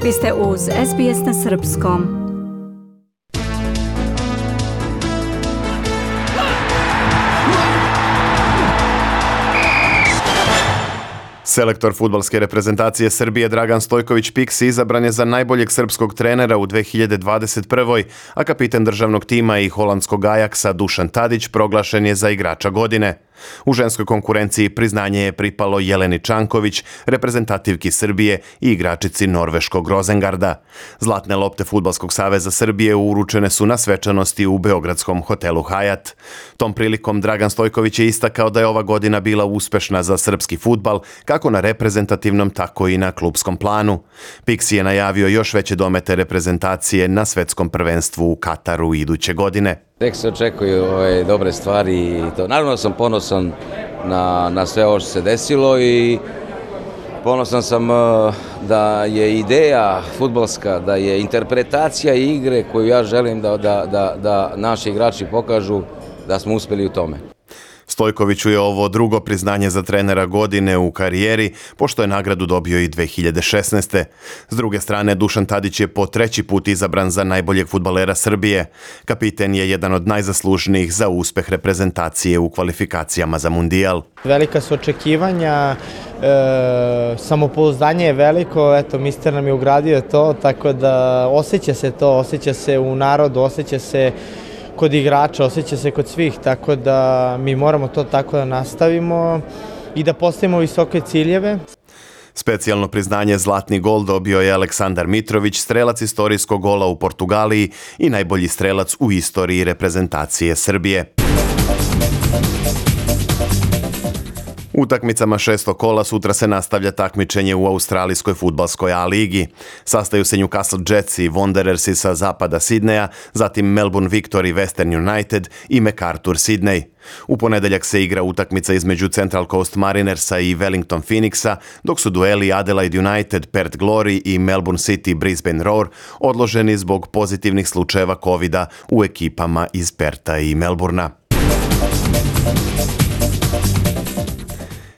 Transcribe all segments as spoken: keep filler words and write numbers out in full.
Vi ste uz S B S na srpskom. Selektor fudbalske reprezentacije Srbije Dragan Stojković Piksi izabran je za najboljeg srpskog trenera u dve hiljade dvadeset prvoj. a kapitan državnog tima i holandskog Ajaksa Dušan Tadić proglašen je za igrača godine. U ženskoj konkurenciji priznanje je pripalo Jeleni Čanković, reprezentativki Srbije i igračici norveškog Rozengarda. Zlatne lopte Fudbalskog saveza Srbije uručene su na svečanosti u beogradskom hotelu Hajat. Tom prilikom Dragan Stojković je istakao da je ova godina bila uspešna za srpski fudbal, kako na reprezentativnom, tako i na klupskom planu. Piksi je najavio još veće domete reprezentacije na svetskom prvenstvu u Kataru iduće godine. Tek se očekuju ove dobre stvari i to. Naravno sam ponosan na, na sve ovo što se desilo i ponosan sam da je ideja fudbalska, da je interpretacija igre koju ja želim da, da, da, da naši igrači pokažu, da smo uspjeli u tome. Stojkoviću je ovo drugo priznanje za trenera godine u karijeri, pošto je nagradu dobio i dve hiljade šesnaeste. S druge strane, Dušan Tadić je po treći put izabran za najboljeg fudbalera Srbije. Kapiten je jedan od najzaslužnijih za uspeh reprezentacije u kvalifikacijama za Mundijal. Velika su očekivanja, e, samopouzdanje je veliko, eto, mister nam je ugradio to, tako da osjeća se to, osjeća se u narodu, osjeća se kod igrača, osjeća se kod svih, tako da mi moramo to tako da nastavimo i da postavimo visoke ciljeve. Specijalno priznanje Zlatni gol dobio je Aleksandar Mitrović, strelac istorijskog gola u Portugaliji i najbolji strelac u istoriji reprezentacije Srbije. Utakmicama šestog kola sutra se nastavlja takmičenje u australijskoj fudbalskoj A ligi. Sastaju se Newcastle Jets i Wanderersi sa zapada Sidneja, zatim Melbourne Victory Western United i MacArthur Sydney. U ponedeljak se igra utakmica između Central Coast Marinersa i Wellington Phoenixa, dok su dueli Adelaide United Perth Glory i Melbourne City Brisbane Roar odloženi zbog pozitivnih slučajeva kovida u ekipama iz Pertha i Melbournea.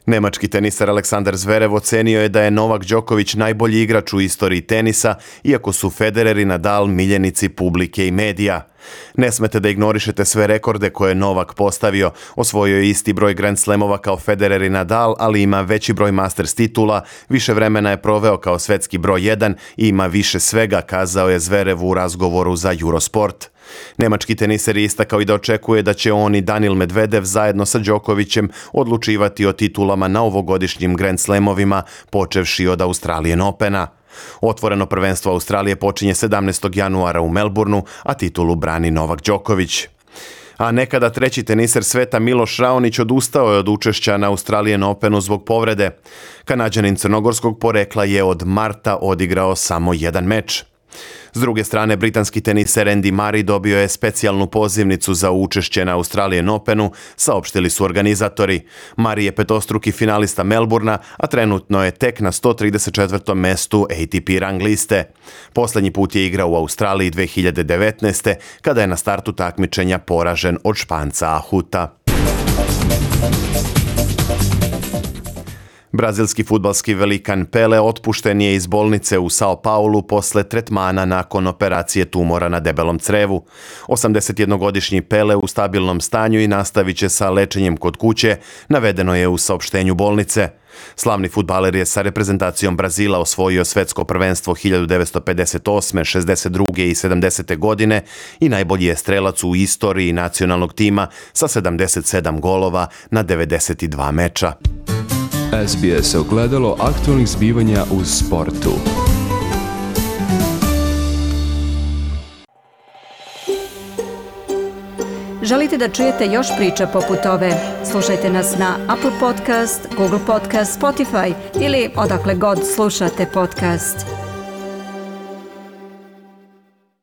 Nemački teniser Aleksandar Zverev ocenio je da je Novak Đoković najbolji igrač u istoriji tenisa, iako su Federer i Nadal miljenici publike i medija. Ne smete da ignorišete sve rekorde koje je Novak postavio. Osvojio je isti broj Grand Slamova kao Federer i Nadal, ali ima veći broj Masters titula, više vremena je proveo kao svetski broj jedan i ima više svega, kazao je Zverev u razgovoru za Eurosport. Nemački teniser je istakao i da očekuje da će on i Daniil Medvedev zajedno sa Đokovićem odlučivati o titulama na ovogodišnjim Grand Slamovima, počevši od Australian Opena. Otvoreno prvenstvo Australije počinje sedamnaestog januara u Melbourneu, a titulu brani Novak Đoković. A nekada treći teniser sveta Miloš Raonić odustao je od učešća na Australian Openu zbog povrede. Kanađanin crnogorskog porekla je od marta odigrao samo jedan meč. S druge strane, britanski teniser Andy Murray dobio je specijalnu pozivnicu za učešće na Australian Openu, saopštili su organizatori. Murray je petostruki finalista Melbournea, a trenutno je tek na sto trideset četvrtom mestu A T P rang liste. Poslednji put je igrao u Australiji dve hiljade devetnaeste. kada je na startu takmičenja poražen od Španca Ahuta. Brazilski fudbalski velikan Pele otpušten je iz bolnice u São Paulu posle tretmana nakon operacije tumora na debelom crevu. osamdesetjednogodišnji Pele u stabilnom stanju i nastavit će sa lečenjem kod kuće, navedeno je u saopštenju bolnice. Slavni fudbaler je sa reprezentacijom Brazila osvojio svetsko prvenstvo hiljadu devetsto pedeset osme, šezdeset druge i sedamdesete godine i najbolji je strelac u istoriji nacionalnog tima sa sedamdeset sedam golova na devedeset dva meča. S B S ogledalo aktualnih zbivanja u sportu. Želite da čujete još priča poput ove? Slušajte nas na Apple Podcast, Google Podcast, Spotify ili odakle god slušate podcast.